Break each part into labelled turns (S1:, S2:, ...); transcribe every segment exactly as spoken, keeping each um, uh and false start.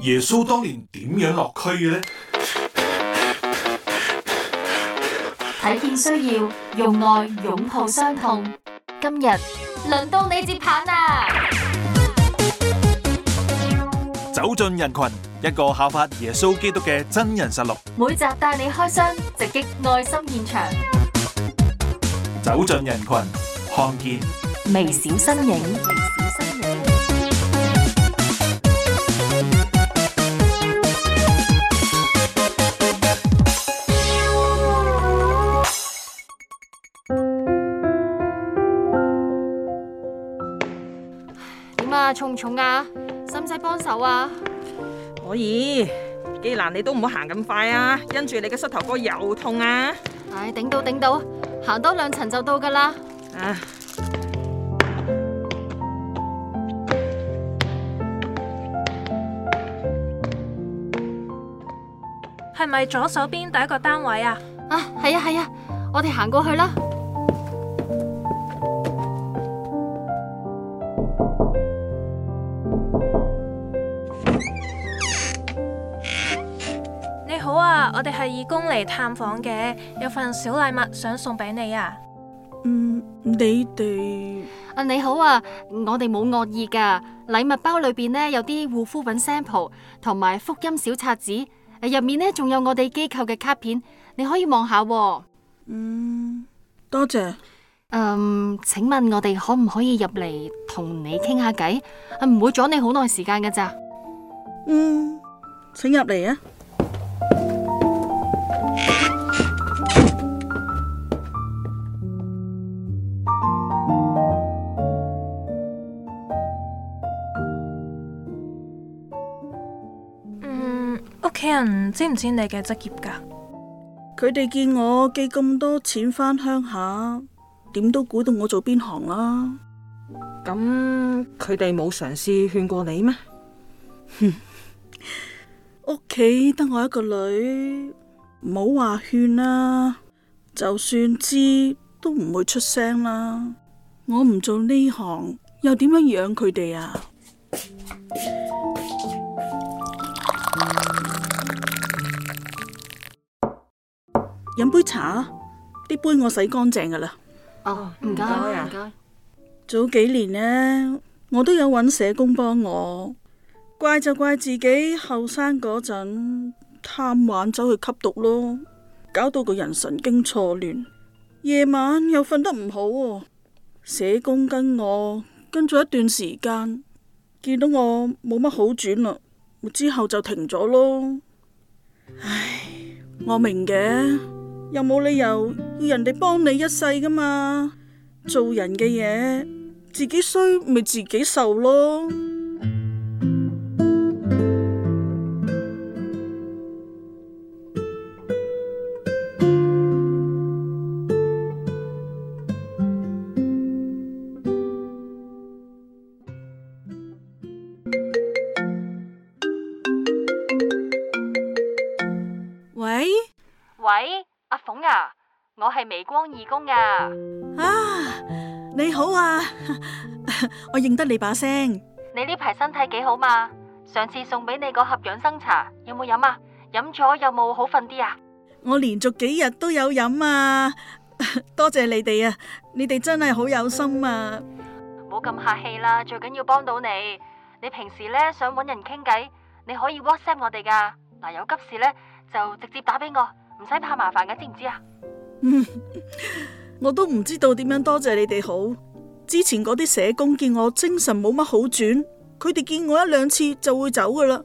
S1: 耶穌當年點樣落區嘅呢？
S2: 睇見需要，用愛擁抱傷痛。今日輪到你接棒啦！
S3: 走進人群，一個效法耶穌基督嘅真人實錄。
S2: 每集帶你開箱，直擊愛心現場，
S3: 走進人群，看見
S2: 微小身影。微小身影。點啊？重唔重啊？使唔使幫手啊？
S4: 可以，既蘭你都唔好行咁快啊，因住你嘅膝頭哥又痛啊！
S2: 唉，頂到頂到，行多兩層就到噶啦。
S4: 啊，
S5: 係咪左手邊第一個單位啊？
S2: 啊，係啊係啊，我哋行過去啦。
S5: 你好啊，我哋係義工嚟探訪嘅，有份小禮物想送俾你啊。
S4: 嗯，你哋
S2: 啊，你好啊，我哋冇惡意噶，禮物包裏邊呢有啲護膚品 sample 同埋福音小冊子，入面呢仲有我哋機構嘅卡片，你可以望下喎。
S4: 嗯，多謝。
S2: 嗯，請問我哋可唔可以入嚟同你傾下偈？啊，唔會阻你好耐時間噶咋。
S4: 嗯，請入嚟啊。
S5: 屋企人知唔知你嘅職業噶？
S4: 佢哋見我寄咁多錢返鄉下，點都估到我做邊行啦。咁佢哋冇嘗試勸過你咩？屋企得我一個女，唔好話勸啦，就算知都唔會出聲啦。我唔做呢行，又點樣養佢哋啊？飲杯茶，啲杯我洗乾淨噶啦。
S2: 哦，唔該
S4: 啊，
S2: 唔該。
S4: 早幾年呢，我都有揾社工幫我，怪就怪自己後生嗰陣貪玩走去吸毒咯，搞到個人神經錯亂，夜晚又瞓得唔好。社工跟我跟咗一段時間，見到我冇乜好轉啦，之後就停咗咯。唉，我明嘅。又冇理由要人哋幫你一世噶嘛？做人嘅嘢，自己衰咪自己受咯。喂
S2: 喂。阿鳳啊，我係微光義工啊！
S4: 啊，你好啊，我認得你把聲。
S2: 你呢排身體幾好嘛？上次送俾你嗰盒養生茶有冇飲啊？飲咗有冇好瞓啲啊？
S4: 我連續幾日都有飲啊！多謝你哋啊，你哋真係好有心啊！
S2: 冇咁客氣啦，最緊要幫到你。你平時呢想搵人傾偈，你可以 WhatsApp 我哋噶。嗱，有急事呢就直接打俾我。唔使怕麻煩嘅，知唔知啊？
S4: 嗯，我都唔知道點樣多謝你哋好。之前嗰啲社工見我精神冇乜好轉，佢哋見我一兩次就會走噶啦。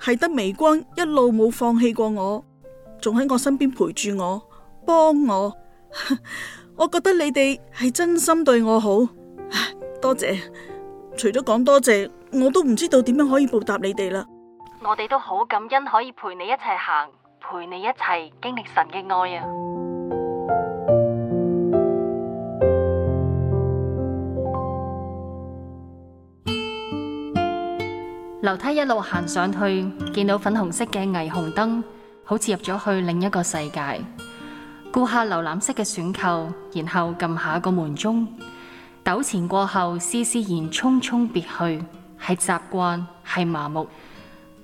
S4: 係得微光一路冇放棄過我，仲喺我身邊陪住我，幫我。我覺得你哋係真心對我好，多謝。除咗講多謝，我都唔知道點樣可以報答你哋啦。
S2: 我哋都好感恩可以陪你一齊行。陪你一齊經歷神嘅愛啊！樓梯一路行上去，見到粉紅色嘅霓虹燈，好似入咗去另一個世界。顧下瀏覽色嘅選購，然後撳下個門鐘，糾纏過後，斯斯然匆匆別去，係習慣，係麻木。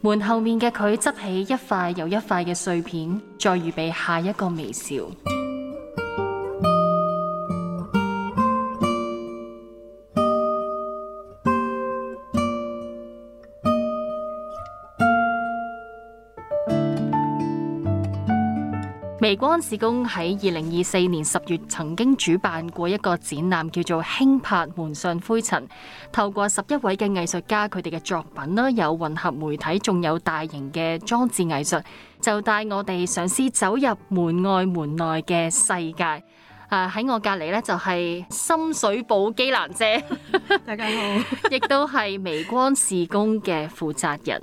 S2: 門後面嘅佢執起一塊又一塊嘅碎片，再預備下一個微笑。微光事工喺二零二四年十月曾經主辦過一個展覽，叫做《輕拍門上灰塵》。透過十一位嘅藝術家，佢哋嘅作品啦，有混合媒體，仲有大型嘅裝置藝術，就帶我哋嘗試走入門外門內嘅世界。誒、啊，喺我隔籬咧就係深水埗基蘭姐，
S6: 大家好，
S2: 亦都係微光事工嘅負責人。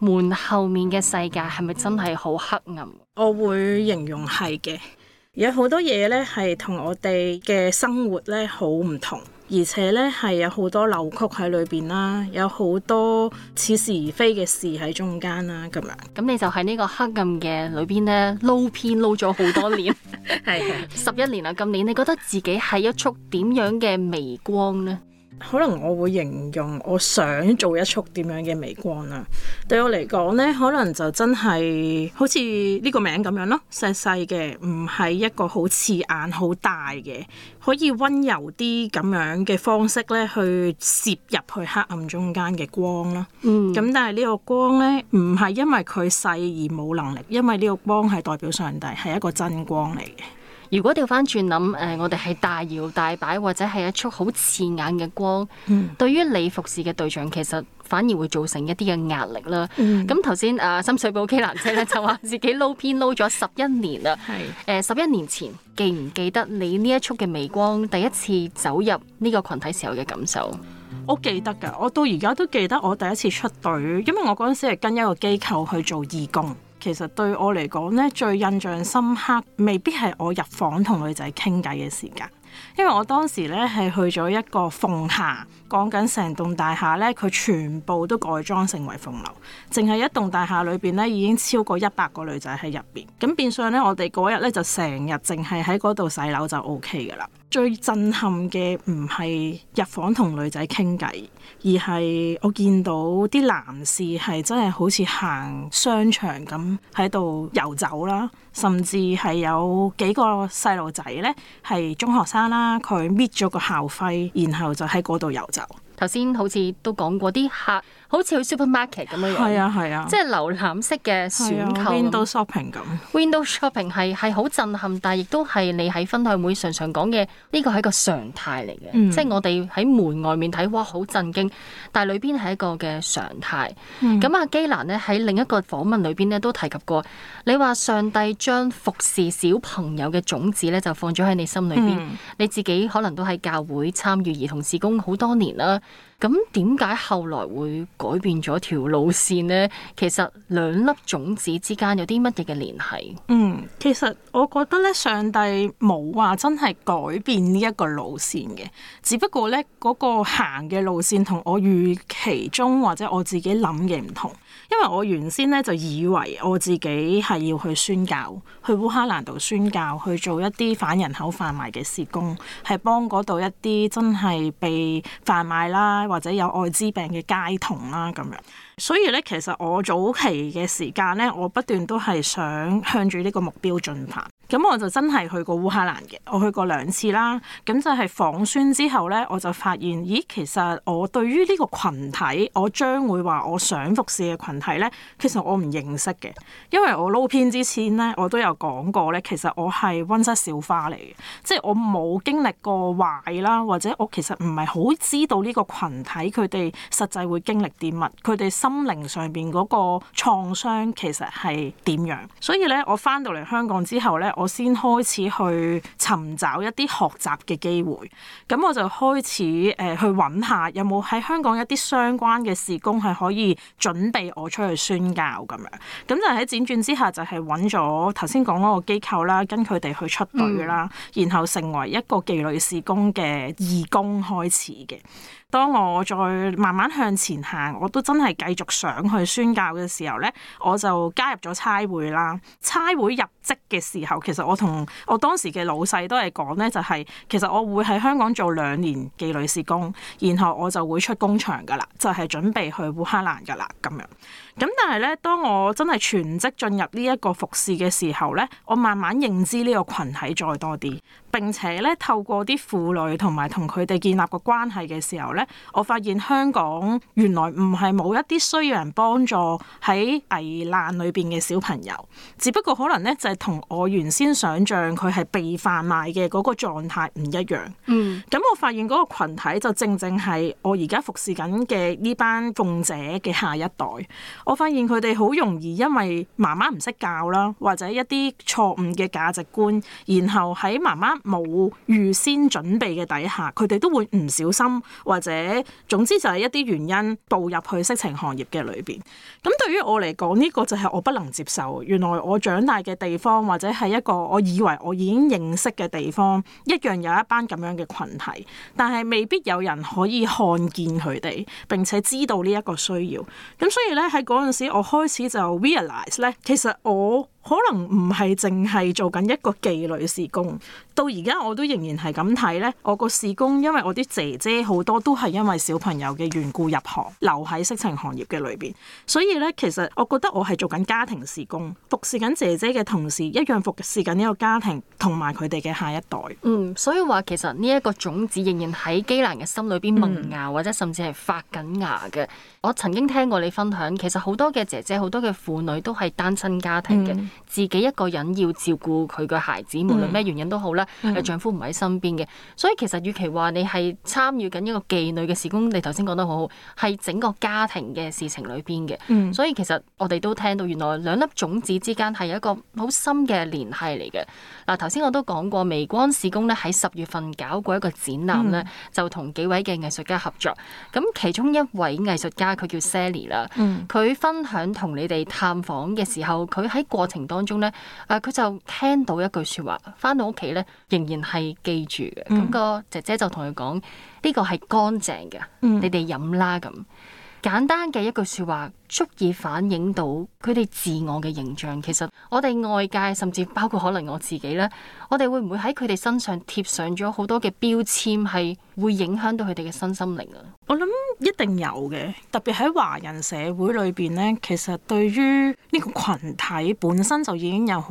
S2: 門後面嘅世界係咪真係好黑暗？
S6: 我會形容係嘅，有好多嘢咧係同我哋嘅生活咧好唔同，而且咧係有好多扭曲喺裏邊啦，有好多似是而非嘅事喺中間啦，咁樣。
S2: 咁你就喺呢個黑暗嘅裏邊咧撈偏撈咗好多年，
S6: 係係
S2: 十一年啦。今年你覺得自己係一束點樣嘅微光呢？
S6: 可能我會形容我想做一束點樣嘅微光啦。對我嚟講呢，可能就真係好似呢個名咁樣咯，細細嘅，唔係一個好刺眼、好大嘅，可以溫柔啲咁樣嘅方式咧，去攝入去黑暗中間嘅光啦。嗯，咁但係呢個光呢，唔係因為佢細而冇能力，因為呢個光係代表上帝，係一個真光嚟嘅。
S2: 如果調翻轉諗，誒、呃，我哋係大搖大擺，或者係一束好刺眼嘅光，嗯、對於你服侍嘅對象，其實反而會造成一啲嘅壓力啦。咁頭先誒深水埗基蘭姐咧就話自己撈偏撈咗十一年啦。係誒十一年前，記唔記得你呢一束嘅微光第一次走入呢個群體時候嘅感受？
S6: 我記得㗎，我到而家都記得我第一次出隊，因為我嗰陣時係跟一個機構去做義工。其實對我嚟講咧，最印象深刻未必係我入房同女仔傾偈嘅時間，因為我當時咧係去咗一個鳳廈，講緊成棟大廈咧，佢全部都改裝成為鳳樓，淨係一棟大廈裏邊咧已經超過一百個女仔喺入邊，咁變相咧我哋嗰日咧就成日淨係喺嗰度洗樓就 O K 噶啦。最震撼嘅唔係入房同女仔傾偈，而係我見到啲男士係真係好似行商場咁喺度遊走啦，甚至係有幾個細路仔呢係中學生啦，佢搣咗個校徽，然後就喺嗰度遊走。
S2: 頭先好似都講過啲客好似去 supermarket 咁樣樣，
S6: 係啊係啊，
S2: 即係瀏覽式嘅選購
S6: window shopping 咁。
S2: window shopping 係係好震撼，但係亦都係你喺分享會常常講嘅，呢個係一個常態嚟嘅。嗯、即係我哋喺門外面睇，哇好震驚，但係裏邊係一個嘅常態。咁、嗯、阿基蘭呢喺另一個訪問裏邊呢都提及過，你話上帝將服侍小朋友嘅種子咧就放咗喺你心裏邊，嗯、你自己可能都喺教會參與兒童事工好多年啦。咁點解後來會改變咗條路線呢？其實兩粒種子之間有啲乜嘢嘅聯繫？嗯，
S6: 其實我覺得咧，上帝冇話真係改變呢一個路線嘅，只不過咧嗰個行嘅路線同我預期中或者我自己諗嘅唔同。因為我原先咧就以為我自己係要去宣教，去烏克蘭度宣教，去做一啲反人口販賣嘅事工，係幫嗰度一啲真係被販賣啦，或者有愛滋病嘅街童啦咁樣。所以咧，其實我早期嘅時間咧，我不斷都係想向住呢個目標進發。咁我就真係去過烏克蘭嘅，我去過兩次啦。咁就係訪宣之後咧，我就發現，咦，其實我對於呢個群體，我將會話我想服侍嘅群體咧，其實我唔認識嘅。因為我撈偏之前咧，我都有講過咧，其實我係溫室小花嚟嘅，即係我冇經歷過壞啦，或者我其實唔係好知道呢個群體佢哋實際會經歷啲乜，佢哋心靈上邊嗰個創傷其實係點樣。所以咧，我翻到嚟香港之後咧，我先開始去尋找一啲學習嘅機會，咁我就開始誒、呃、去揾下有冇喺香港一啲相關嘅事工係可以準備我出去宣教咁樣，咁就喺輾轉之下就係揾咗頭先講嗰個機構啦，跟佢哋去出隊啦，嗯、然後成為一個妓女事工嘅義工開始嘅。當我再慢慢向前行，我都真係繼續想去宣教嘅時候咧，我就加入咗差會啦。差會入職嘅時候，其實我同我當時嘅老細都係講咧，就係、是、其實我會喺香港做兩年妓女事工，然後我就會出工場噶啦，就係、是、準備去烏克蘭噶啦咁樣。咁但係咧，當我真係全職進入呢一個服侍嘅時候咧，我慢慢認知呢個群體再多啲，並且咧透過啲婦女同埋同佢哋建立個關係嘅時候咧，我發現香港原來唔係冇一啲需要人幫助喺危難裏邊嘅小朋友，只不過可能咧就係、是、同我原先想象佢係被販賣嘅嗰個狀態唔一樣。嗯，咁我發現嗰個羣體就正正係我而家服侍緊嘅呢班奉者嘅下一代。我發現佢哋好容易因為媽媽唔識教啦，或者一啲錯誤嘅價值觀，然後喺媽媽冇預先準備嘅底下，佢哋都會唔小心，或者總之就係一啲原因步入去色情行業嘅裏邊。咁對於我嚟講，呢個就係我不能接受。原來我長大嘅地方，或者係一個我以為我已經認識嘅地方，一樣有一班咁樣嘅群體，但係未必有人可以看見佢哋，並且知道呢一個需要。咁所以咧喺嗰陣時，我開始就 realize 咧，其實我可能唔係淨係做緊一個妓女事工，到而家我都仍然係咁睇咧。我個事工，因為我啲姐姐好多都係因為小朋友嘅緣故入行，留喺色情行業嘅裏邊，所以咧其實我覺得我係做緊家庭事工，服侍緊姐姐嘅同時，一樣服侍緊呢個家庭同埋佢哋嘅下一代。
S2: 嗯，所以話其實呢一個種子仍然喺基蘭嘅心裏邊萌芽，嗯、或者甚至係發緊芽嘅。我曾經聽過你分享，其實好多嘅姐姐、好多嘅婦女都係單親家庭嘅。嗯，自己一個人要照顧佢個孩子，無論咩原因都好啦，嗯、丈夫唔喺身邊嘅，所以其實與其話你係參與緊一個妓女嘅事工，你頭先講得好好，係整個家庭嘅事情裏邊嘅，嗯、所以其實我哋都聽到原來兩粒種子之間係有一個好深嘅聯繫嚟嘅。嗱，頭先我都講過，微光事工咧喺十月份搞過一個展覽咧，嗯、就同幾位嘅藝術家合作，咁其中一位藝術家佢叫 Sally 啦，佢、嗯、分享同你哋探訪嘅時候，佢喺過程當中咧，誒佢就聽到一句説話，翻到屋企咧仍然係記住嘅。咁、嗯、個姐姐就同佢講：呢個係乾淨嘅，嗯、你哋飲啦咁。簡單嘅一句説話，足以反映到佢哋自我嘅形象。其實我哋外界，甚至包括可能我自己咧，我哋會唔會喺佢哋身上貼上咗好多嘅標籤，係會影響到佢哋嘅身心靈啊？
S6: 我諗一定有嘅，特別喺華人社會裏邊咧，其實對於呢個群體本身就已經有好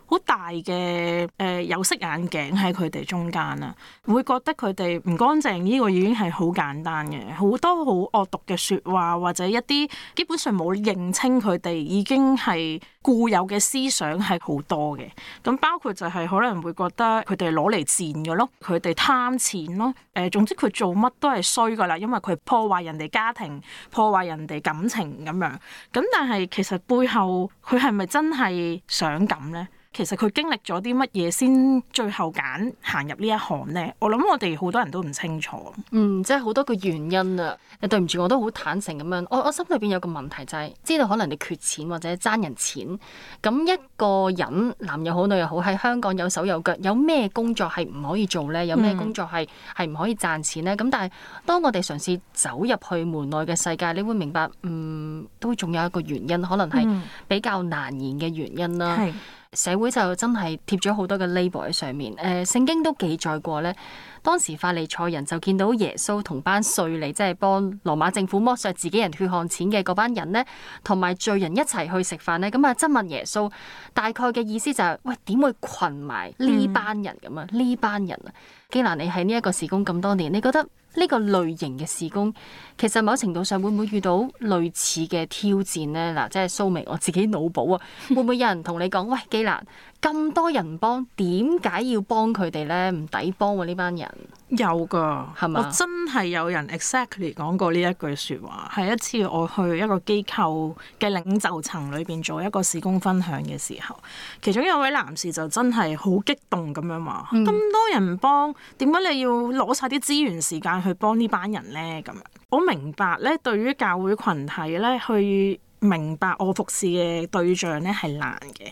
S6: 好大嘅誒、呃、有色眼鏡喺佢哋中間啦，會覺得佢哋唔乾淨呢個已經係好簡單嘅，好多好惡毒嘅説話，或者一啲基本上冇認清佢哋已經係固有嘅思想係好多嘅。咁包括就係可能會覺得佢哋攞嚟賤嘅咯，佢哋貪錢咯，誒、呃、總之佢做乜都係衰噶啦，因為佢破壞人哋家庭、破壞人哋感情咁樣。咁但係其實背後佢係咪真係想咁呢？其實佢經歷咗啲乜嘢先最後揀行入呢一行呢？我諗我哋好多人都唔清楚。
S2: 嗯，即係好多個原因啊！誒，對唔住，我都好坦誠咁樣。我我心裏邊有個問題就係、是、知道可能你缺錢或者爭人錢。咁一個人男又好女又好喺香港有手有腳，有咩工作係唔可以做呢？有咩工作係係唔可以賺錢呢？咁但係當我哋嘗試走入去門內嘅世界，你會明白，嗯，都仲有一個原因，可能係比較難言嘅原因啦。嗯社會就真係貼咗好多嘅 label 喺上面。誒、呃，聖經都記載過咧，當時法利賽人就見到耶穌同班稅吏，即係幫羅馬政府剝削自己人血汗錢嘅嗰班人咧，同埋罪人一齊去食飯咧。咁啊，質問耶穌，大概嘅意思就係、是：喂，點會群埋呢班人咁啊？呢班人啊，基蘭，你喺呢一個事工咁多年，你覺得呢個類型嘅事工，其實某程度上會唔會遇到類似嘅挑戰呢？嗱，即係蘇眉，我自己腦補啊，會唔會有人同你講：喂，基蘭，咁多人幫，點解要幫佢哋呢？唔抵幫喎呢班人。
S6: 有噶，
S2: 係嘛？
S6: 我真係有人 exactly 講過呢一句説話，係一次我去一個機構嘅領袖層裏邊做一個事工分享嘅時候，其中有位男士就真係好激動咁樣話：咁、嗯、多人幫，點解你要攞晒啲資源時間去幫呢班人呢？咁樣我明白咧，對於教會群體咧，去明白我服侍嘅對象咧係難嘅。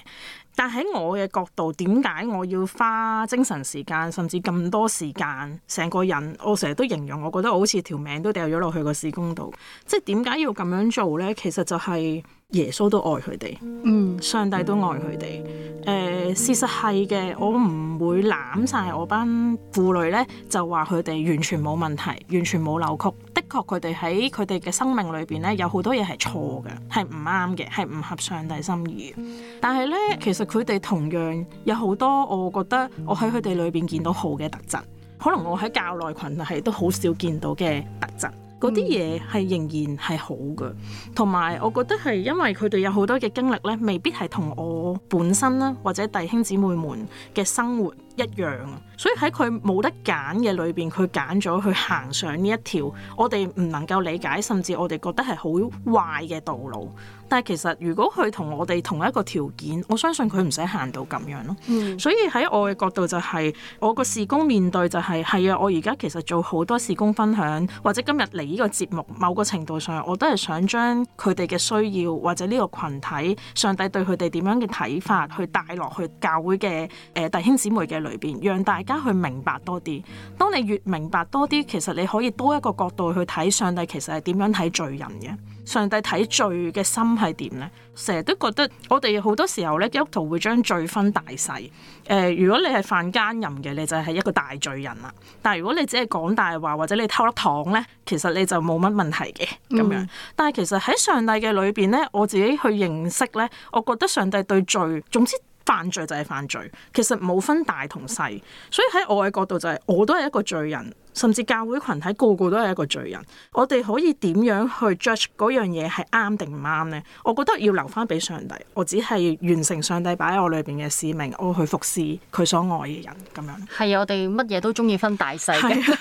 S6: 但喺我嘅角度，點解我要花精神時間，甚至咁多時間，成個人我成日都形容，我覺得我好似條命都掉咗落去個事工度。即係點解要咁樣做呢？其實就係耶穌都愛佢哋，嗯，上帝都愛佢哋。誒、呃，事實係嘅，我唔會攬晒我班婦女呢，就話佢哋完全冇問題，完全冇扭曲。的確，佢哋喺佢哋嘅生命裏邊呢，有好多嘢係錯嘅，係唔啱嘅，係唔合上帝心意嘅。但係呢，其實佢哋同樣有好多，我覺得我喺佢哋裏邊見到好嘅特質，可能我喺教內群係都好少見到嘅特質。嗰啲嘢係仍然係好嘅，同埋我覺得係因為佢哋有好多嘅經歷咧，未必係同我本身啦，或者弟兄姊妹們嘅生活一樣啊，所以喺佢冇得揀嘅裏邊，佢揀咗去行上呢一條我哋唔能夠理解，甚至我哋覺得係好壞嘅道路。但係其實如果佢同我哋同一個條件，我相信佢唔使行到咁樣咯。嗯、所以喺我嘅角度就係、是、我個事工面對就係、是、係啊，我而家其實做好多事工分享，或者今日嚟呢個節目，某個程度上我都係想將佢哋嘅需要或者呢個群體，上帝對佢哋點樣嘅睇法，去帶落去教會嘅誒、呃、弟兄姊妹嘅裏邊，讓大家去明白多啲。當你越明白多啲，其實你可以多一個角度去睇上帝其實係點樣睇罪人嘅。上帝睇罪嘅心係點呢？成日都覺得我哋好多時候咧，基督徒會將罪分大細。誒、呃，如果你係犯奸淫嘅，你就係一個大罪人啦。但係如果你只係講大話或者你偷粒糖咧，其實你就冇乜問題嘅咁樣。嗯、但係其實喺上帝嘅裏邊咧，我自己去認識咧，我覺得上帝對罪，總之犯罪就係犯罪，其實冇分大同細。所以喺我嘅角度就係、是，我都係一個罪人。甚至教會群體個個都係一個罪人，我哋可以點樣去 judge 嗰樣嘢係啱定唔啱呢？我覺得要留翻俾上帝，我只係完成上帝擺喺我裏邊嘅使命，我去服侍佢所愛嘅人咁樣。
S2: 係啊，我哋乜嘢都中意分大細嘅，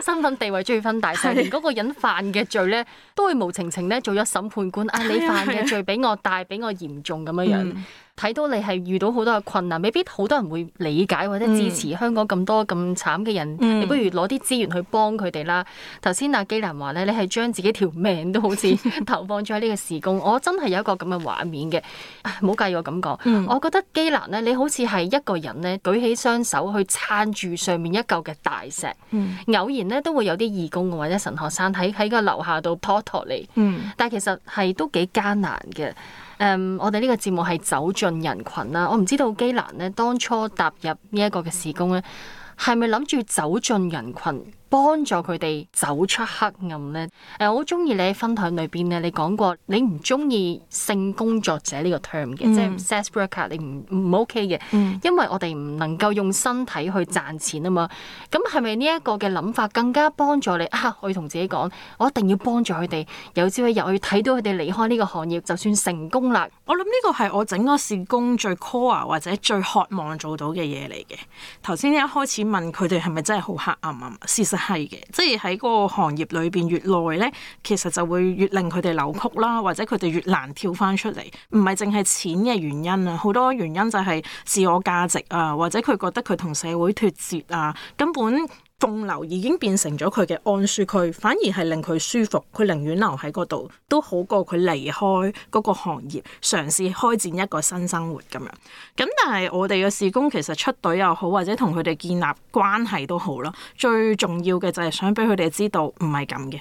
S2: 身份地位中意分大細，連嗰個人犯嘅罪咧，都會無情情咧做咗審判官，啊你犯嘅罪比我大，比我嚴重咁樣樣。嗯睇到你係遇到好多嘅困難，未必好多人會理解或者支持香港咁多咁慘嘅人，嗯、你不如攞啲資源去幫佢哋啦。頭先阿基蘭話咧，你係將自己條命都好似投放咗喺呢個事工，我真係有一個咁嘅畫面嘅，唔好介意我咁講。嗯、我覺得基蘭咧，你好似係一個人咧，舉起雙手去撐住上面一嚿嘅大石，嗯、偶然咧都會有啲義工或者神學生喺喺個樓下度拖拖你，嗯、但係其實係都幾艱難嘅。誒，um, 我哋呢個節目係走進人群啦。我唔知道基蘭咧，當初踏入呢一個嘅事工咧，係咪諗住走進人群，幫助佢哋走出黑暗呢？誒，我好中意你喺分享裏邊咧，你講過你唔中意性工作者呢個 term 嘅，嗯、即係 sex worker，你唔唔 OK 嘅，嗯、因為我哋唔能夠用身體去賺錢啊嘛。咁係咪呢一個嘅諗法更加幫助你啊？我要同自己講，我一定要幫助佢哋，有朝一日我要睇到佢哋離開呢個行業，就算成功啦。
S6: 我諗呢個係我整個事工最 core 或者最渴望做到嘅嘢嚟嘅。頭先一開始問佢哋係咪真係好黑暗啊？事實係嘅，即係喺嗰個行業裏邊越耐咧，其實就會越令佢哋扭曲啦，或者佢哋越難跳翻出嚟。唔係淨係錢嘅原因啊，好多原因就係自我價值啊，或者佢覺得佢同社會脫節啊，根本鳳樓已經變成咗佢嘅安舒區，反而係令佢舒服，佢寧願留喺嗰度，都好過佢離開嗰個行業，嘗試開展一個新生活咁樣。咁但係我哋嘅事工其實出隊又好，或者同佢哋建立關係都好啦，最重要嘅就係想俾佢哋知道唔係咁嘅。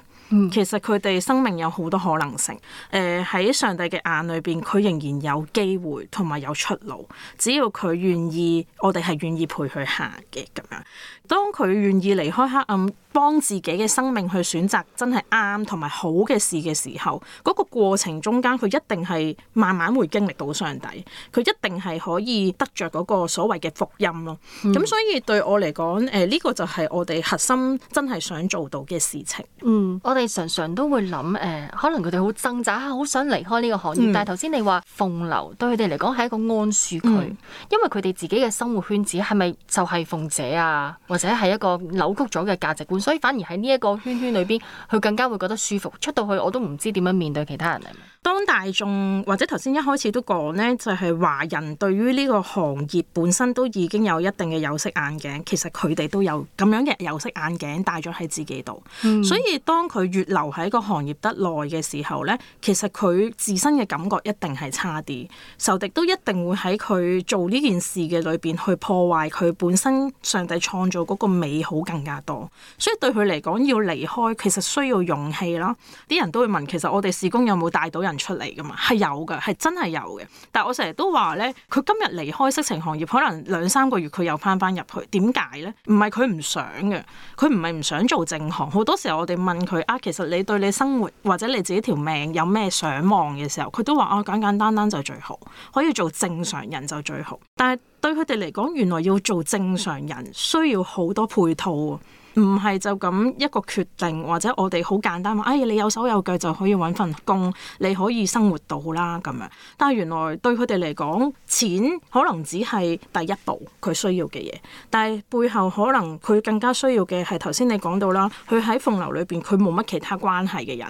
S6: 其實佢哋生命有好多可能性，誒、呃、喺上帝嘅眼裏邊，佢仍然有機會同埋有出路，只要佢願意，我哋係願意陪佢行嘅咁樣。當佢願意離開黑暗，幫自己嘅生命去選擇真係啱同埋好嘅事嘅時候，嗰、那個過程中間佢一定係慢慢會經歷到上帝，佢一定係可以得着嗰個所謂嘅福音咯。咁、嗯、所以對我嚟講，誒、呃、呢、這個就係我哋核心真係想做到嘅事情。
S2: 嗯，我哋常常都會諗，誒、呃，可能佢哋好掙扎，好想離開呢個行業。嗯、但係頭先你話鳳樓對佢哋嚟講係一個安舒區，嗯、因為佢哋自己嘅生活圈子係咪就係鳳姐啊，或者係一個扭曲咗嘅價值觀？所以反而喺呢一個圈圈裏邊，佢更加會覺得舒服。出到去我都唔知點樣面對其他人。
S6: 當大眾或者頭先一開始都講呢，就係華人對於呢個行業本身都已經有一定嘅有色眼鏡，其實佢哋都有咁樣嘅有色眼鏡戴咗喺自己度，嗯、所以當佢越留喺個行業得耐嘅時候呢，其實佢自身嘅感覺一定係差啲，仇敵都一定會喺佢做呢件事嘅裏邊去破壞佢本身上帝創造嗰個美好更加多，所以對佢嚟講要離開其實需要勇氣啦。啲人都會問，其實我哋事工有冇帶到人出嚟噶嘛？係有嘅，係真係有嘅。但係我成日都話咧，佢今日離開色情行業，可能兩三個月佢又翻翻入去，點解咧？唔係佢唔想嘅，佢唔係唔想做正行。好多時候我哋問佢啊，其實你對你生活或者你自己條命有咩想望嘅時候，佢都話啊，簡簡單單就最好，可以做正常人就最好。但係對佢哋嚟講，原來要做正常人需要好多配套啊。唔係就咁一個決定，或者我哋好簡單話，哎，你有手有腳就可以揾份工，你可以生活到啦咁樣。但係原來對佢哋嚟講，錢可能只係第一步佢需要嘅嘢，但係背後可能佢更加需要嘅係頭先你講到啦，佢喺鳳樓裏邊佢冇乜其他關係嘅人，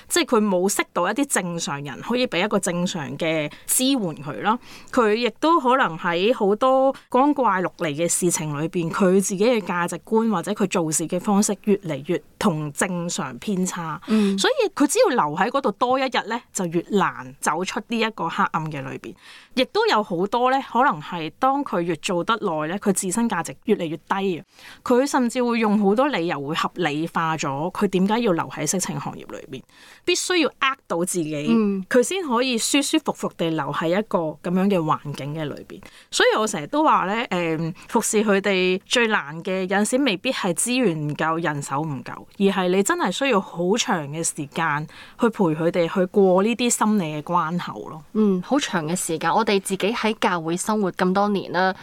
S6: 即係佢冇識到一啲正常人可以俾一個正常嘅支援佢啦。佢亦都可能喺好多光怪陸離嘅事情裏邊，佢自己嘅價值觀或者佢做事嘅方式越嚟越同正常偏差，嗯、所以佢只要留喺嗰度多一日咧，就越難走出呢一個黑暗嘅裏邊。亦都有好多咧，可能係當佢越做得耐咧，佢自身價值越嚟越低啊！佢甚至會用好多理由會合理化咗佢點解要留喺色情行業裏邊，必須要呃到自己，佢先、嗯、可以舒舒服服地留喺一個咁樣嘅環境嘅裏邊。所以我成日都話咧，誒、嗯、服侍佢哋最難嘅有陣時未必係資源唔夠、人手唔夠，而係你真係需要好長嘅時間去陪佢哋去過呢啲心理嘅關口咯。
S2: 嗯，好長嘅時間。我哋自己喺教會生活咁多年啦，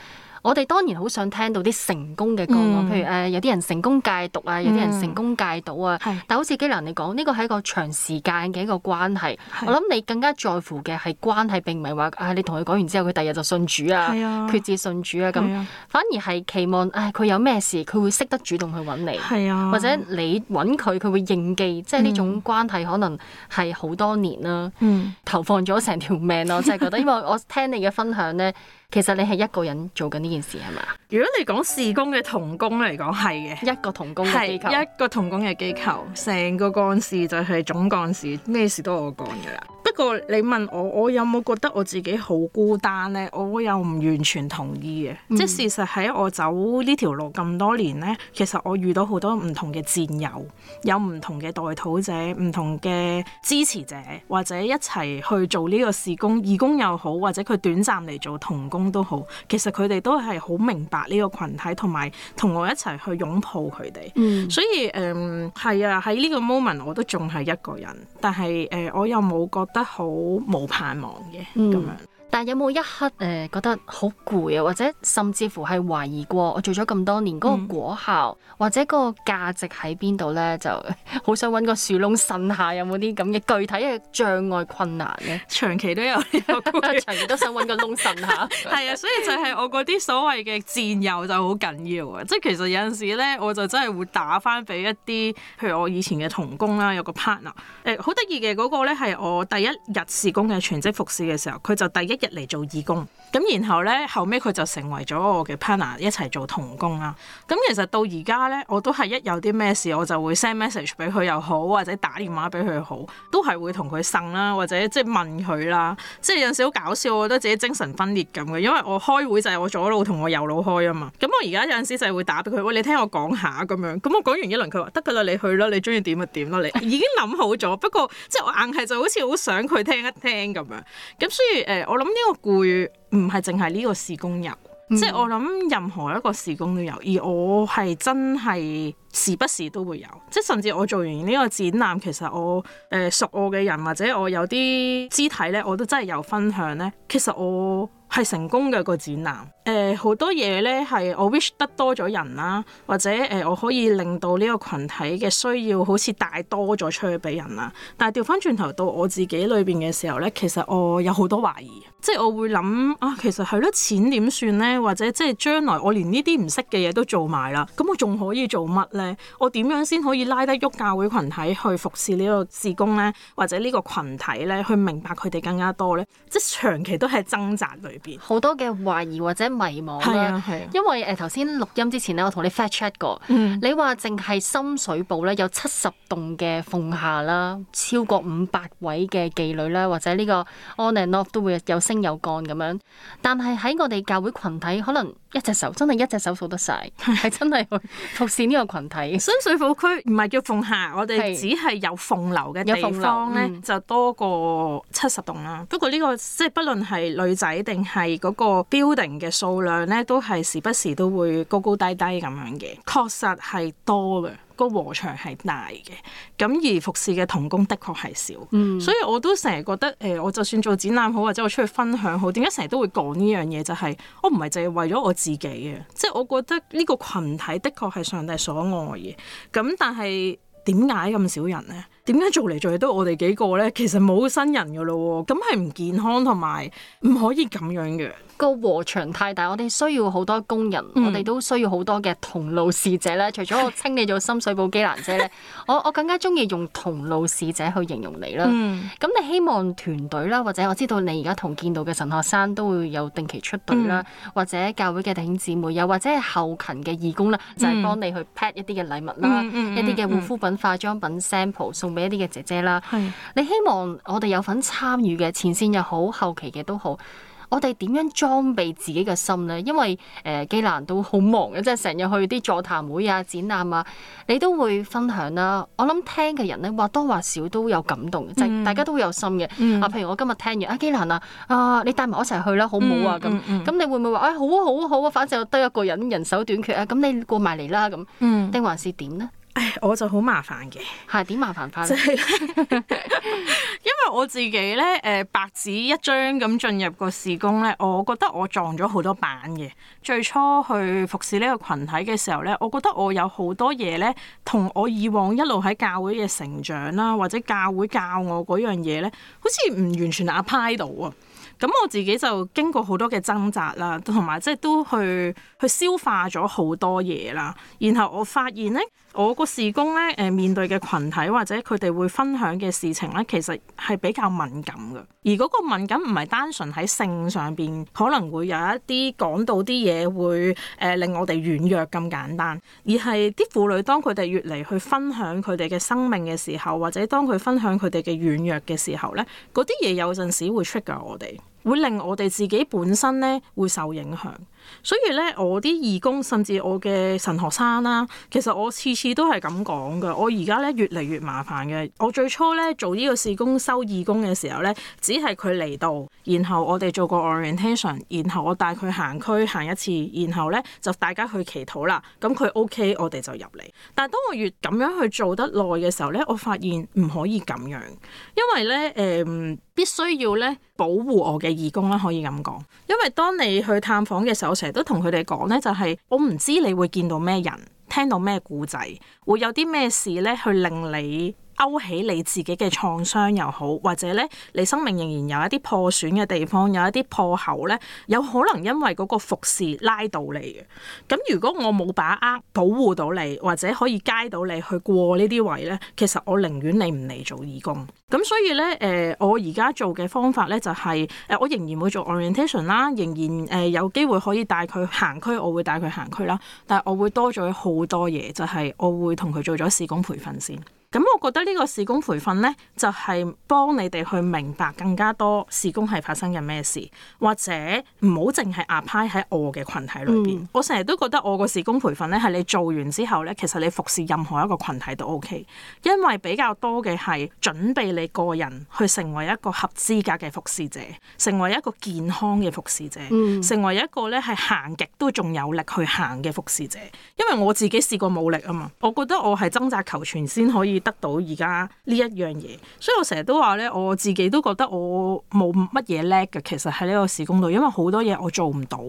S2: 我哋當然好想聽到啲成功嘅個案，嗯、譬如誒、呃、有啲人成功戒毒啊，有啲人成功戒賭啊。嗯、但好似基蘭你講，呢個係一個長時間嘅一個關係。是我諗你更加在乎嘅係關係，並唔係話啊你同佢講完之後，佢第日就信主啊，決志信主啊咁，啊、反而係期望誒佢有咩事，佢會識得主動去揾你，啊、或者你揾佢，佢會應記，即係呢種關係可能係好多年啦，嗯、投放咗成條命咯，我真係覺得，因為我聽你嘅分享咧。其實你係一個人做緊呢件事係嘛？
S6: 如果你講事工嘅同工嚟講，係嘅，
S2: 一個同工嘅機構，
S6: 一個同工嘅機構，成個幹事就係總幹事，咩事都係我幹噶啦。不過你問我，我有冇覺得我自己好孤單呢？我又唔完全同意嘅。嗯、即係事實喺我走呢條路咁多年呢，其實我遇到好多唔同嘅戰友，有唔同嘅代禱者、唔同嘅支持者，或者一齊去做呢個事工，義工又好，或者佢短暫嚟做同工都好。其實佢哋都係好明白呢個群體，同埋同我一齊去擁抱佢哋。嗯、所以誒係、嗯、啊，喺呢個 moment 我都仲係一個人，但係誒、呃、我又冇覺得好冇盼望嘅咁、嗯、樣。
S2: 但係有冇一刻誒、呃、覺得好攰啊，或者甚至乎係懷疑過我做咗咁多年嗰、嗰個果效、嗯、或者嗰個價值喺邊度咧？就好想揾個樹窿呻下，有冇啲咁嘅具體嘅障礙困難咧？
S6: 長期都有呢個，
S2: 長期都想揾個窿呻下。
S6: 係啊，所以就係我嗰啲所謂嘅戰友就好緊要啊！即係其實有陣時咧，我就真係會打翻俾一啲，譬如我以前嘅同工啦，有個 partner 誒，好得意嘅嗰個咧係我第一日事工嘅全職服侍嘅時候，佢就第一日嚟做義工，咁然後咧後尾佢就成為咗我嘅 partner 一齊做同工啦。咁其實到而家咧，我都係一有啲咩事，我就會 send message 俾佢又好，或者打電話俾佢又好，都係會同佢呻啦，或者即係問佢啦。即係有陣時好搞笑，我覺得自己精神分裂咁嘅，因為我開會就係我左腦同我右腦開啊嘛。咁我而家有陣時就係會打俾佢，喂，你聽我講下咁樣。咁我講完一輪，佢話得㗎啦，你去啦，你中意點就點啦，你已經諗好咗。不過即係我硬係就好似好想佢聽一聽咁樣。咁所以誒、呃，我諗呢個攰唔係淨係呢個事工有，嗯、即係我諗任何一個事工都有，而我係真係時不時都會有，即係甚至我做完呢個展覽，其實我誒、呃、熟我嘅人或者我有啲肢體咧，我都真係有分享咧。其實我係成功嘅個展覽，誒、呃、好多嘢咧係我 wish 得多咗人啦，或者誒、呃、我可以令到呢個群體嘅需要好似帶多咗出去俾人啦。但係調翻轉頭到我自己裏邊嘅時候咧，其實我有好多懷疑，即係我會諗啊，其實係咯，錢點算咧？或者即係將來我連呢啲唔識嘅嘢都做埋啦，咁我仲可以做乜咧？我點樣先可以拉得喐教會群體去服侍呢個事工咧，或者呢個群體咧去明白佢哋更加多咧？即係長期都係掙扎裏邊，
S2: 好多嘅懷疑或者迷茫啦。
S6: 係啊係啊，
S2: 因為誒頭先錄音之前咧，我同你 fact check 過，
S6: 嗯、
S2: 你話淨係深水埗咧有七十棟嘅奉廈啦，超過五百位嘅妓女啦，或者呢個 on and off 都會有升有降咁樣。但係喺我哋教會群體，可能一隻手真係一隻手數得晒，係真係去服侍呢個群體。
S6: 深水埗區唔係叫奉廈，我哋只係有鳳樓嘅地方咧，嗯、就多過七十棟啦。不過呢、呢個即係不論係女仔定係嗰個 building 嘅數量咧，都係時不時都會高高低低咁樣嘅，確實係多嘅。個禾場係大嘅，咁而服侍嘅同工的確係少，嗯、所以我都成日覺得誒、呃，我就算做展覽好，或者我出去分享好，點解成日都會講呢樣嘢？就係、是、我唔係淨係為咗我自己嘅，即係我覺得呢個群體的確係上帝所愛嘅。咁但係點解咁少人呢？點解做嚟做去都我哋幾個呢？其實冇新人噶咯，咁係唔健康同埋唔可以咁樣嘅。
S2: 個禾場太大，我哋需要好多工人，嗯、我哋都需要好多嘅同路使者咧。除咗我稱你做深水埗基蘭姐咧，我我更加中意用同路使者去形容你啦。咁、嗯、你希望團隊啦，或者我知道你而家同建道嘅神學生都會有定期出隊啦，嗯、或者教會嘅弟兄姊妹，又或者係後勤嘅義工啦，就係、是、幫你去 pack 一啲嘅禮物啦，嗯嗯嗯、一啲嘅護膚品、化妝品 sample 送俾一啲嘅姐姐啦。是你希望我哋有份參與嘅前線又好，後期嘅都好。我哋點樣裝備自己嘅心呢？因為誒、呃、基蘭都好忙嘅，即係成日去啲座談會啊、展覽啊，你都會分享啦。我諗聽嘅人咧，或多或少都有感動，即係、嗯、大家都會有心嘅。嗯、啊，譬如我今日聽完啊，基蘭啊，啊你帶埋我一齊去啦，好唔好啊？咁咁、嗯嗯嗯、你會唔會話啊、哎？好啊，好啊，好啊，反正我得一個人，人手短缺啊，咁你過埋嚟啦咁。定、嗯、還是點呢？
S6: 唉，我就好麻煩嘅，
S2: 係點麻煩法咧？
S6: 即係因為我自己咧，誒、呃、白紙一張咁進入個事工咧，我覺得我撞咗好多板嘅。最初去服侍呢個群體嘅時候咧，我覺得我有好多嘢咧，同我以往一路喺教會嘅成長啦，或者教會教我嗰樣嘢咧，好似唔完全 apply 到啊。咁我自己就經過好多嘅掙扎啦，同埋即係都去去消化咗好多嘢啦。然後我發現咧，我個事工咧，誒面對嘅群體或者佢哋會分享嘅事情咧，其實係比較敏感嘅。而嗰個敏感唔係單純喺性上邊，可能會有一啲講到啲嘢會誒、呃、令我哋軟弱咁簡單，而係啲婦女當佢哋越嚟去分享佢哋嘅生命嘅時候，或者當佢分享佢哋嘅軟弱嘅時候咧，嗰啲嘢有陣時會 trigger我哋。會令我哋自己本身咧會受影響，所以咧我啲義工甚至我嘅神學生啦，其實我次次都係咁講噶。我而家咧越嚟越麻煩嘅。我最初咧做呢個事工收義工嘅時候咧，只係佢嚟到，然後我哋做個 orientation， 然後我帶佢行區行一次，然後咧就大家去祈禱啦。咁佢 OK，我哋就入嚟。但係當我越咁樣去做得耐嘅時候咧，我發現唔可以咁樣，因為咧誒、呃、必須要咧保護我嘅義工啦，可以咁講。因為當你去探訪嘅時候，我成日都同佢哋講咧，就係我唔知你會見到咩人，聽到咩故仔，會有啲咩事咧去令你勾起你自己嘅創傷又好，或者咧你生命仍然有一啲破損嘅地方，有一啲破口咧，有可能因為嗰個服侍拉到你嘅。咁如果我冇把握保護到你，或者可以街到你去過呢啲位咧，其實我寧願你唔嚟做義工。咁所以咧，誒、呃、我而家做嘅方法咧就係、是、誒、呃、我仍然會做 orientation 啦，仍然誒、呃、有機會可以帶佢行區，我會帶佢行區啦。但係我會多咗好多嘢，就係、是、我會同佢做咗事工培訓先。咁我覺得呢個事工培訓咧，就係、是、幫你哋去明白更加多事工係發生緊咩事，或者唔好淨係 apply 喺我嘅群體裏邊。嗯、我成日都覺得我個事工培訓咧，係你做完之後咧，其實你服侍任何一個群體都 OK，因為比較多嘅係準備你個人去成為一個合資格嘅服侍者，成為一個健康嘅服侍者，嗯、成為一個咧係行極都仲有力去行嘅服侍者。因為我自己試過冇力啊嘛，我覺得我係掙扎求全先可以得到而家呢一樣嘢，所以我成日都話咧，我自己都覺得我冇乜嘢叻嘅，其實喺呢個事工度，因為好多嘢我做唔到，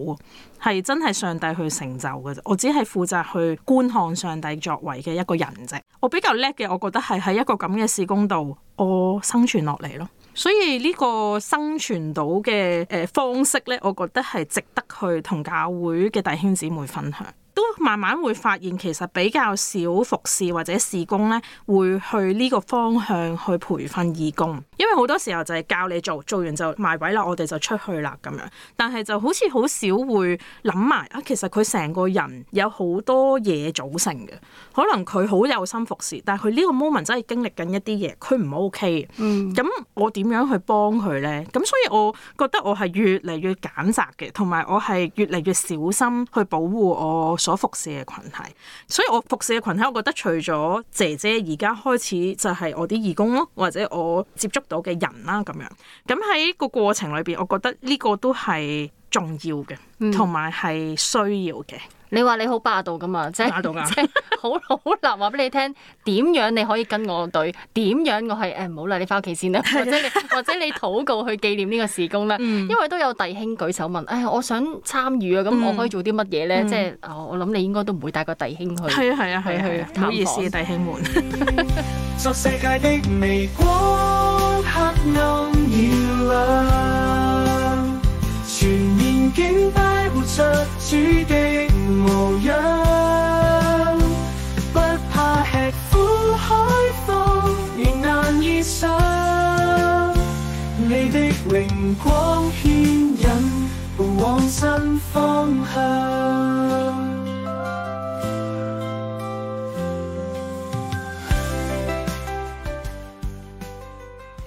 S6: 係真係上帝去成就嘅啫，我只係負責去觀看上帝作為嘅一個人啫。我比較叻嘅，我覺得係喺一個咁嘅事工度，我生存落嚟咯。所以呢個生存到嘅誒方式咧，我覺得係值得去同教會嘅弟兄姊妹分享。都慢慢會發現，其實比較少服侍或者事工咧，會去呢個方向去培訓義工，因為好多時候就係教你做，做完就埋位啦，我哋就出去啦咁樣。但係就好似好少會諗埋啊，其實佢成個人有好多嘢組成嘅，可能佢好有心服侍，但係佢呢個 moment 真係經歷緊一啲嘢，佢唔 OK 嘅。嗯，咁我點樣去幫佢咧？咁所以我覺得我係越嚟越揀擇嘅，同埋我係越嚟越小心去保護我所服侍嘅群體。所以我服侍嘅群體，我覺得除咗姐姐而家開始就係我啲義工咯，或者我接觸到嘅人啦咁樣。咁喺個過程裏邊，我覺得呢個都係重要嘅，同埋係需要嘅。
S2: 你話你好霸道噶嘛？即係
S6: 霸道㗎，
S2: 即係好好難話俾你聽點樣你可以跟我隊，點樣我係誒唔好啦，你翻屋企先啦，或者你或者你禱告去紀念呢個事工啦。嗯、因為都有弟兄舉手問，誒、哎、我想參與啊，咁我可以做啲乜嘢咧？嗯、即係我諗你應該都唔會帶個弟兄去。係啊係啊係啊，唔好意思弟兄們。
S7: 作世界的微光，黑暗燃亮，全面敬拜活着主的模樣，不怕吃苦海放，仍難以想你的榮光牽引往新方向。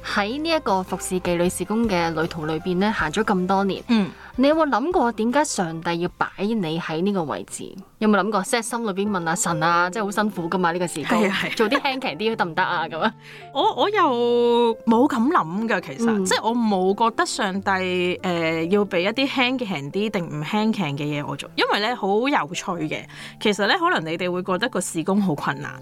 S2: 喺呢一個服侍妓女事工嘅旅途裏邊咧，行咗咁多年，
S6: 嗯，
S2: 你有冇諗過點解上帝要擺你喺呢個位置？有冇諗過即係心裏邊問下神啊，即係好辛苦噶嘛呢個事工，做啲輕騎啲得唔得啊？咁啊，
S6: 我我又冇咁諗噶，其實、嗯、即係我冇覺得上帝誒、呃、要俾一啲輕騎啲定唔輕騎嘅嘢我做，因為咧好有趣嘅。其實咧可能你哋會覺得個事工好困難，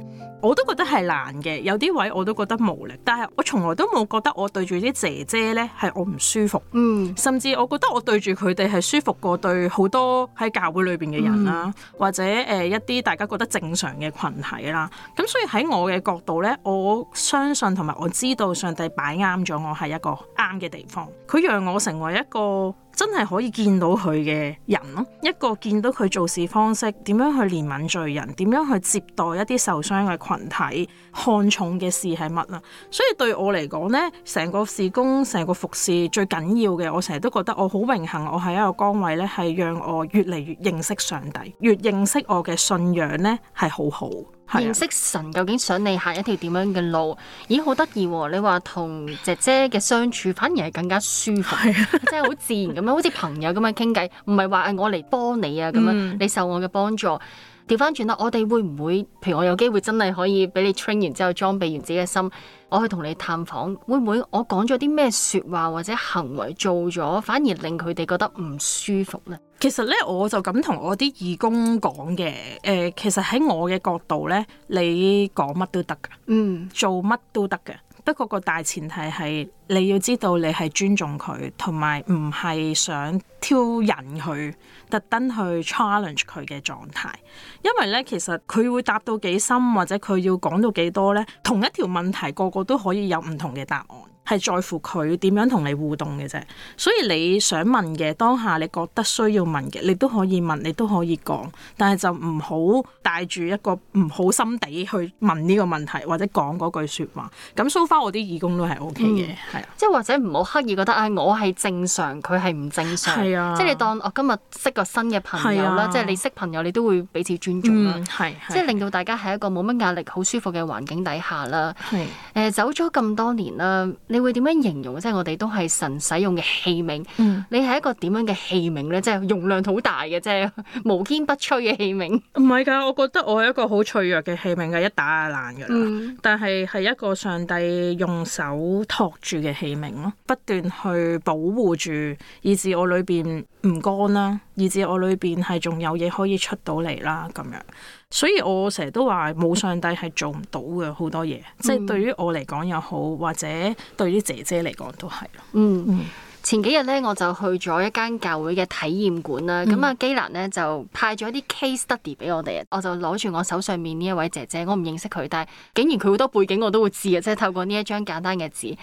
S6: 我都覺得係難嘅，有啲位我都覺得無力，但係我從來都冇覺得我對住啲姐姐咧係我唔舒服，嗯，甚至我覺得我對住佢哋係舒服過對好多喺教會裏邊嘅人啦，嗯、或者誒、呃、一啲大家覺得正常嘅群體啦。咁所以喺我嘅角度咧，我相信同埋我知道上帝擺啱咗我係一個啱嘅地方，佢讓我成為一個真係可以見到佢嘅人咯，一個見到佢做事方式，點樣去憐憫罪人，點樣去接待一啲受傷嘅群體，看重嘅事係乜啦？所以對我嚟講呢，成個事工、成個服侍最緊要嘅，我成日都覺得我好榮幸，我喺一個崗位呢，係讓我越嚟越認識上帝，越認識我嘅信仰呢，係好好。
S2: 認識神究竟想你行一條點樣嘅路？咦，好得意喎！你話同姐姐嘅相處反而係更加舒服，即係好自然咁樣，好似朋友咁樣傾偈，唔係話我嚟幫你啊咁樣，嗯、你受我嘅幫助。調翻轉啦，我哋會唔會？譬如我有機會真係可以俾你 train 完之後裝備完自己嘅心，我去同你探訪，會唔會我講咗啲咩説話或者行為做咗，反而令佢哋覺得唔舒服呢？
S6: 其實咧，我就咁同我啲義工講嘅。誒、呃，其實喺我嘅角度咧，你講乜都得㗎，嗯，做乜都得嘅。不過個大前提係你要知道你係尊重佢，同埋唔係想挑釁佢，特登去 challenge 佢嘅狀態。因為咧，其實佢會答到幾深，或者佢要講到幾多咧，同一條問題個個都可以有唔同嘅答案。係在乎佢點樣同你互動嘅啫，所以你想問嘅當下，你覺得需要問嘅，你都可以問，你都可以講，但係就唔好帶住一個唔好心地去問呢個問題或者講嗰句説話。咁 so far 我啲義工都係 OK 嘅，係、嗯、啊，
S2: 即係或者唔好刻意覺得啊，我係正常，佢係唔正常，係啊，即係你當我今日識個新嘅朋友啦，啊、即係你識朋友你都會彼此尊重啦，係、嗯，即係令到大家喺一個冇乜壓力、好舒服嘅環境底下啦，係，誒、呃、走咗咁多年啦。你會點樣形容？即係我哋都係神使用嘅器皿。嗯、你係一個點樣嘅器皿咧？即係容量好大嘅，即係無堅不摧嘅器皿。
S6: 唔係㗎，我覺得我係一個好脆弱嘅器皿嘅，一打就爛㗎啦。嗯、但係係一個上帝用手托住嘅器皿咯，不斷去保護住，以致我裏邊唔乾啦，以致我裏邊係仲有嘢可以出到嚟啦咁樣。所以我成日都話冇上帝係做唔到嘅好多嘢，嗯、即係對於我嚟講又好，或者對於姐姐嚟講都係咯。嗯嗯，
S2: 前幾日咧我就去咗一間教會嘅體驗館啦，咁啊、嗯、基蘭咧就派咗一啲 case study 俾我哋，我就攞住我手上面呢一位姐姐，我唔認識佢，但係竟然佢好多背景我都會知嘅，即係透過呢一張簡單嘅字，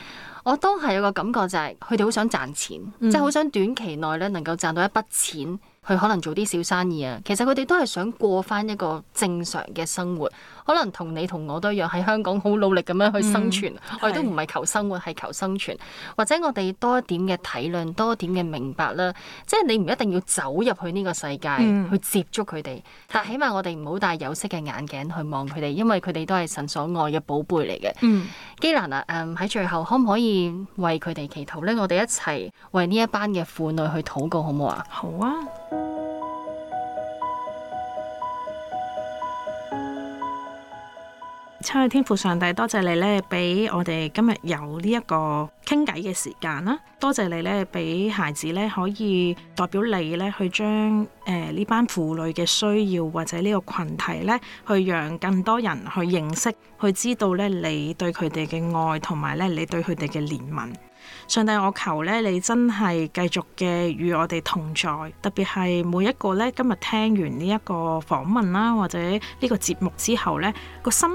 S2: 我都係有個感覺就係佢哋好想賺錢，嗯、即係好想短期內咧能夠賺到一筆錢。去可能做啲小生意啊，其實佢哋都係想過翻一個正常嘅生活，可能同你同我都一樣喺香港好努力咁樣去生存，嗯、我哋都唔係求生活，係求生存，或者我哋多一點嘅體諒，多一點嘅明白啦，即係你唔一定要走入去呢個世界、嗯、去接觸佢哋，但起碼我哋唔好戴有色嘅眼鏡去望佢哋，因為佢哋都係神所愛嘅寶貝嚟嘅。嗯，基蘭啊，誒喺最後可唔可以為佢哋祈禱咧？我哋一齊為呢一班嘅婦女去禱告，好唔好啊？
S6: 好啊。親愛天父上帝，多謝你咧，俾我哋今日有呢一個傾偈嘅時間啦。多謝你咧，俾孩子咧可以代表你咧去將誒呢班婦女嘅需要或者呢個群體咧，去讓更多人去認識，去知道咧你對佢哋嘅愛，同埋咧你對佢哋嘅憐憫。上帝，我求咧你真係繼續嘅與我哋同在，特別係每一個咧今日聽完呢一個訪問啦，或者呢個節目之後咧個心